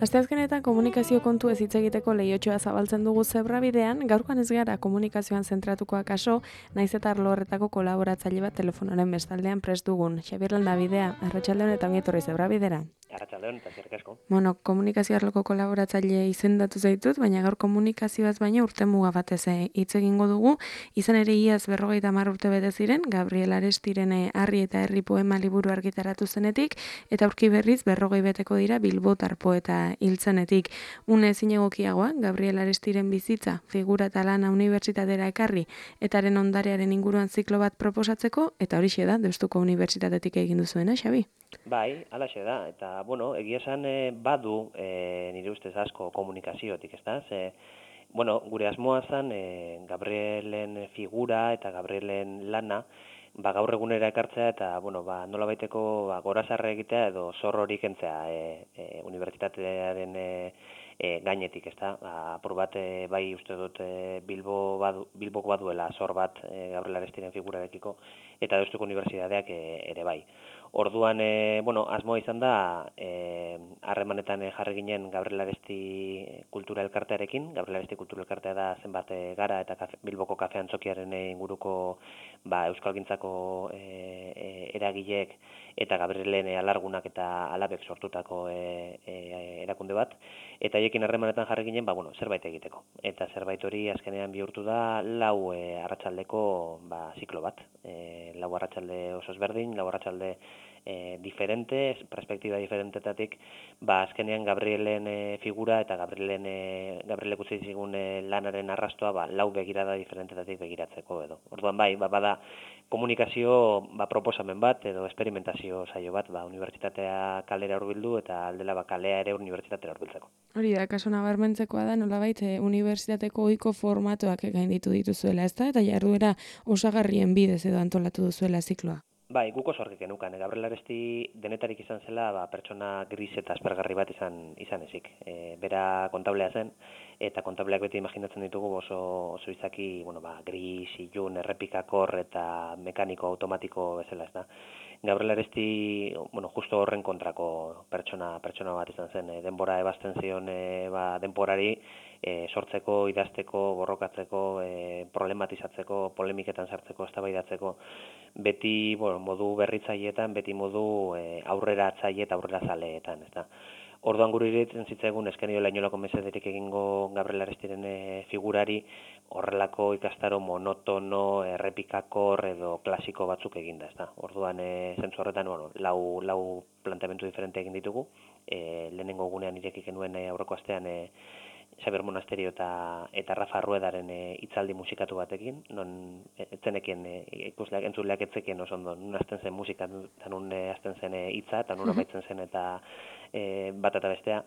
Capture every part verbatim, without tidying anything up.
Asteazkenetan komunikazio kontu ez hitz egiteko leihotxoa zabaltzen dugu Zebrabidean, gaurkoan ez gara komunikazioan zentratukoak kaso, naiz eta arlo horretako kolaboratzaile bat telefonoren bestaldean prest dugun. Xabier Landabidea, arratsalde on eta ongi etorri Zebrabidera. Arratsalde on eta eskerrik asko. Bueno, komunikazio arloko kolaboratzaile izendatu zaitut, baina gaur komunikazioaz baina urtemuga batez hitz egingo dugu. Izan ere iaz berrogeita hamar urte bete ziren, Gabriel Arestiren Harri eta Herri poema liburu argitaratu zenetik, eta aurki berriz berrogei beteko dira bilbotar poeta hiltzenetik. Une ezin egokiagoa, Gabriel Arestiren bizitza, figura eta lana unibertsitatera ekarri, etaren ondarearen inguruan ziklo bat proposatzeko, eta horixe da, Deustuko Unibertsitatetik egin duzuena, Xabi? Bai, halaxe da, eta, bueno, egia esan e, badu e, nire ustez asko komunikaziotik, ez da? Ze, bueno, gure asmoa zen e, Gabrielen figura eta Gabrielen lana, ba, gaur egunera ekartzea eta, bueno, ba, nola baiteko ba, gorazarre egitea edo zor hori kentzea e, e, unibertsitatearen e, e, gainetik, ez da? Ba, apur bat, e, bai uste dut e, Bilbo badu, Bilboko baduela zor bat e, Gabriel Arestiren figurarekiko, eta Deustuko Unibertsitateak e, ere bai. Orduan, e, bueno, asmoa izan da, harremanetan e, jarri ginen Gabriel Aresti kultura elkartearekin. Gabriel Aresti kultura elkartea da zenbat e, gara eta kafe, Bilboko kafe antzokiaren e, inguruko ba, euskalgintzako e, e, eragileek eta Gabrielen e, alargunak eta alabek sortutako e, e, erakunde bat. Eta haiekin harremanetan jarri ginen, ba, bueno, zerbait egiteko. Eta zerbait hori azkenean bihurtu da lau e, arratsaldeko ba, ziklo bat. E, lau arratsalde oso ezberdin, lau arratsalde E, diferente, perspektiba diferentetatik, ba, azkenean Gabrielen e, figura eta Gabrielen e, Gabrielek utzi zigun e, lanaren arrastoa ba, lau begirada diferentetatik begiratzeko edo. Orduan bai, ba, bada komunikazio ba, proposamen bat edo experimentazio saio bat, ba, unibertsitatea kalera hurbildu eta aldela ba, kalea ere unibertsitatera hurbiltzeko. Hori da, kaso nabarmentzekoa da, nolabait e, unibertsitateko ohiko formatoak gainditu dituzuela, ezta? Eta jarduera osagarrien bidez edo antolatu duzuela zikloa. Bai, guk oso argi genukan. Gabriel Aresti denetarik izan zela, ba, pertsona gris eta aspergarri bat izan izan ezik. E, bera kontablea zen, eta kontableak beti imaginatzen ditugu oso, oso izaki, bueno, ba, gris, ilun, errepikakor eta mekaniko, automatiko bezala, ez da. Gabriel Aresti, bueno, justo horren kontrako pertsona pertsona bat izan zen. E, denbora ebazten zion e, ba, denborari, e, sortzeko, idazteko, borrokatzeko, e, problematizatzeko, polemiketan sartzeko, eztabaidatzeko, beti, bueno, modu berritzaileetan, beti modu e, aurrera atzaile eta aurrera zaleetan, ez da. Orduan gure iruditzen zitzaigun eskeniola inolako mesederik egingo Gabriel Arestiren e, figurari horrelako ikastaro monotono, errepikakor edo klasiko batzuk eginda, ez da. Orduan e, zentzu horretan, bueno, lau, lau planteamendu diferente egin ditugu, e, lehenengo gunean irekik genuen e, aurreko astean e, Xabier Monasterio eta eta Rafa Ruedaren e, hitzaldi musikatu batekin, non etzenekien e, ikusleak entzuleak etzekien oso ondo, nun hasten zen musika, eta nun e, hasten zen hitza, eta nun amaitzen zen eta e, bat eta bestea.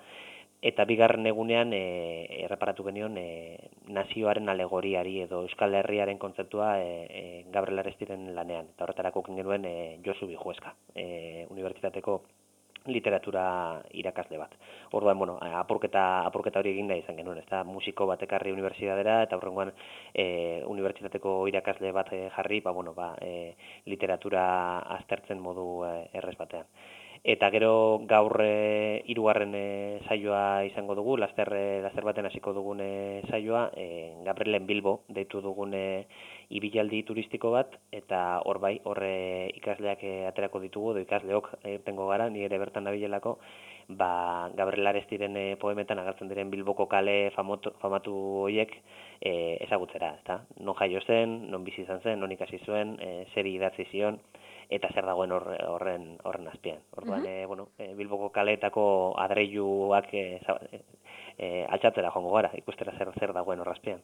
Eta bigarren egunean e, erreparatu genion e, nazioaren alegoriari edo Euskal Herriaren kontzeptua e, e, Gabriel Arestiren lanean. Eta horretarako genuen e, Josu Bijueska, e, unibertsitateko literatura irakasle bat. Orduan, bueno, apurketa, apurketa hori egin da izan genuen, ez da, musiko bat ekarri unibertsitatera, eta horrengoan e, unibertsitateko irakasle bat e, jarri, ba, bueno, ba, e, literatura aztertzen modu e, errez batean. Eta gero gaur e, hirugarren e, saioa izango dugu, laster, e, laster baten hasiko dugun e, saioa, e, Gabrielen Bilbo deitu dugun e, ibilaldi turistiko bat, eta hor bai, horre ikasleak e, aterako ditugu, edo ikasleok e, tengo gara, ni ere bertan nabilelako, ba, Gabriel Arestiren e, poemetan agertzen diren Bilboko kale famotu, famatu horiek e, ezagutzera, ezta? Non jaio zen, non bizi izan zen, non ikasi zuen, e, zeri idatzi zion, eta zer dagoen horren horren azpian. Orduan, uh -huh. e, bueno, e, Bilboko kaleetako adreiluak e, e, altxatzera joango gara, ikustera zer zer dagoen horren azpian.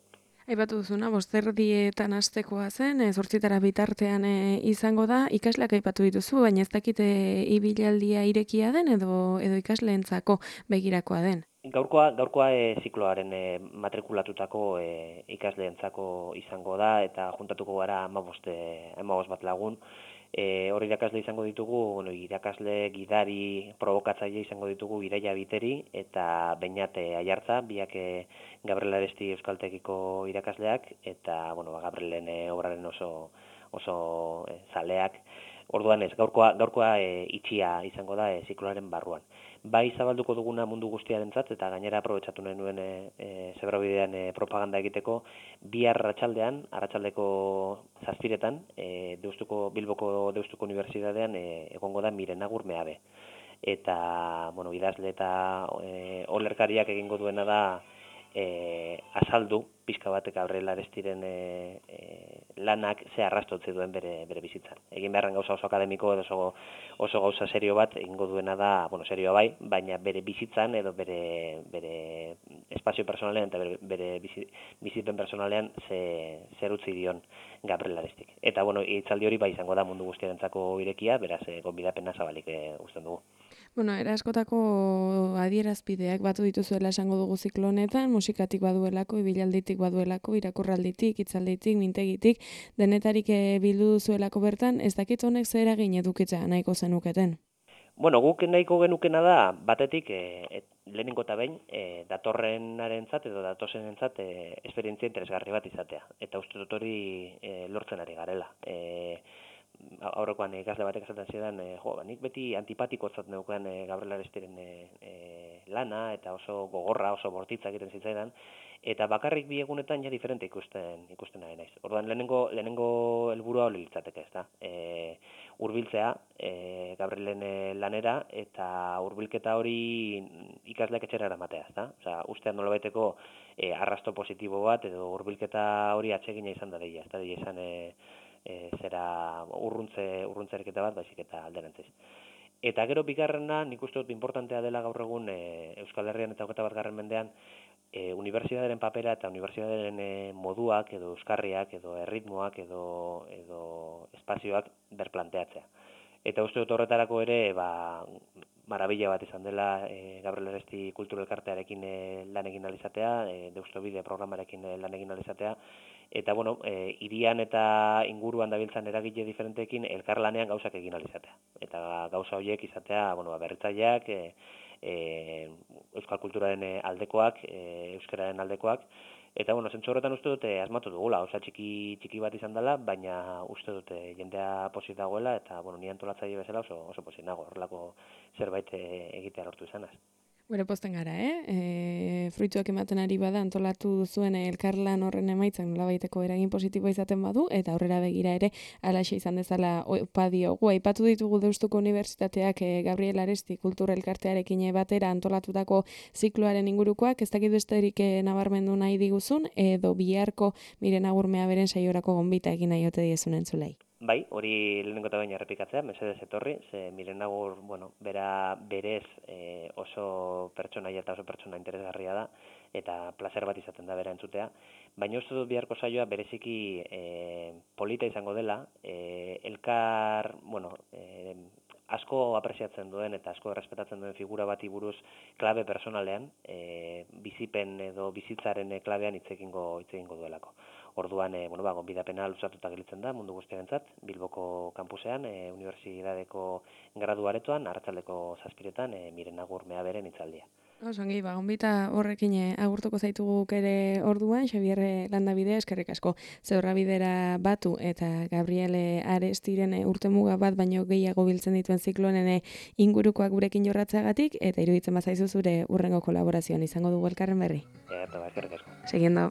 Aipatu duzuna, bosterdietan hastekoa zen, e, zortzitara bitartean e, izango da, ikasleak aipatu dituzu, baina ez dakite ibilaldia irekia den edo edo ikasleentzako begirakoa den. Gaurkoa, gaurkoa e, zikloaren e, matrikulatutako e, ikasleentzako izango da, eta juntatuko gara hamabost e, bat lagun. E, hor irakasle izango ditugu, bueno, irakasle gidari provokatzaile izango ditugu Iraia Biteri eta Beñat Aiartza, biak e, Gabriel Aresti Euskaltegiko irakasleak, eta bueno, Gabrielen e, obraren oso, oso e, zaleak. Orduan ez, gaurkoa, gaurkoa e, itxia izango da e, zikloaren barruan. Bai zabalduko duguna mundu guztiarentzat eta gainera aprobetxatu nahi nuen e, e, Zebrabidean e, propaganda egiteko, bihar arratsaldean, arratsaldeko zazpiretan, e, Deustuko, Bilboko Deustuko Unibertsitatean e, egongo da Miren Agur Meabe. Eta, bueno, idazle eta e, olerkariak egingo duena da e, azaldu, pixka batek Gabriel Arestiren e, e, lanak ze arrastotze duen bere, bere bizitzan. Egin beharren gauza oso akademiko edo oso, oso gauza serio bat egingo duena da, bueno, serioa bai, baina bere bizitzan edo bere, bere espazio personalean eta bere, bere bizi, bizipen personalean ze, zer utzi dion Gabriel Arestik. Eta, bueno, hitzaldi hori bai izango da mundu guztiarentzako irekia, beraz, e, gonbidapena zabalik e, usten dugu. Bueno, era askotako adierazpideak batu dituzuela esango dugu ziklo honetan, musikatik baduelako, ibilalditik baduelako, irakurralditik, hitzalditik, mintegitik, denetarik bildu duzuelako bertan, ez dakit honek zer eragin edukitza nahiko zenuketen? Bueno, guk nahiko genukena da, batetik, e, et, lehenengo eta behin, e, datorrenarentzat edo datozenentzat e, esperientzia interesgarri bat izatea. Eta uste dut hori e, lortzen ari garela. E, aurrekoan ikasle batek esaten zidan, e, jo, nik beti antipatikotzat neukan e, Gabriel Arestiren e, e, lana, eta oso gogorra, oso bortitza egiten zitzaidan, eta bakarrik bi egunetan ja diferente ikusten ikusten ari naiz. Orduan lehenengo lehenengo helburua hori litzateke, ezta? Eh, hurbiltzea e, Gabrielen lanera eta hurbilketa hori ikasleak etxera eramatea, ezta? Osea, ustean nolabaiteko e, arrasto positibo bat edo hurbilketa hori atsegina izan da deia, ezta? Deia izan e, E, zera urruntze urruntzereketa bat, baizik eta alderantziz. Eta gero bigarrena, nik uste dut importantea dela gaur egun e, Euskal Herrian eta hogeita batgarren mendean e, unibertsitateren papera eta unibertsitateren e, moduak edo euskarriak edo erritmoak edo edo espazioak berplanteatzea. Eta uste dut horretarako ere, ba, marabila bat izan dela e, Gabriel Aresti Kultura Elkartearekin e, lan egin alizatea, e, Deustobide programarekin e, lan egin alizatea, eta, bueno, e, irian eta inguruan dabiltzan eragile diferenteekin elkarlanean gauzak egin alizatea. Eta gauza horiek izatea, bueno, berritzaileak, e, e, euskal kulturaren aldekoak, e, euskararen aldekoak, eta, bueno, zentzu horretan uste dute asmatu dugula, osa txiki txiki bat izan dela, baina uste dute jendea posit dagoela, eta, bueno, ni antolatzaile bezala oso, oso posit nago, horrelako zerbait egitea lortu izanaz. Bere posten gara, eh? E, fruituak ematen ari bada antolatu duzuen elkarlan horren emaitzak nolabaiteko eragin positiboa izaten badu, eta aurrera begira ere alaxe izan dezala opa diogu. Aipatu ditugu Deustuko Unibertsitateak e, Gabriel Aresti Kultura Elkartearekin batera antolatutako zikloaren ingurukoak, ez dakit besterik e, nabarmendu nahi diguzun, edo biharko Miren Agur Meaberen saiorako gonbita egin nahi ote diezun entzulei. Bai, hori lehenengo eta baina errepikatzea, mesedez etorri, ze Miren Agur, bueno, bera berez e, oso pertsonaia eta oso pertsona interesgarria da, eta placer bat izaten da bera entzutea, baina uste dut biharko saioa bereziki e, polita izango dela, e, elkar, bueno, e, asko apresiatzen duen eta asko errespetatzen duen figura bati buruz klabe personalean, e, bizipen edo bizitzaren klabean hitz egingo hitz egingo duelako. Orduan, e, bueno, ba, gonbidapena luzatuta gelditzen da mundu guztiarentzat, Bilboko kampusean, e, unibertsitateko gradu aretoan, arratsaldeko zazpiretan, e, Miren Agur Meaberen hitzaldia. Osongi, ba, gonbita horrekin agurtuko zaituguk ere orduan, Xabier Landabide, eskerrik asko Zebrabidera batu eta Gabriel Arestiren urtemuga bat baino gehiago biltzen dituen ziklonen ingurukoak gurekin jorratzeagatik, eta iruditzen bazaizu zure urrengo kolaborazioan izango dugu elkarren berri. Eta, ba, eskerrik asko. Seguiendo.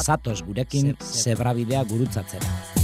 Zatoz gurekin Zebrabidea gurutzatzera.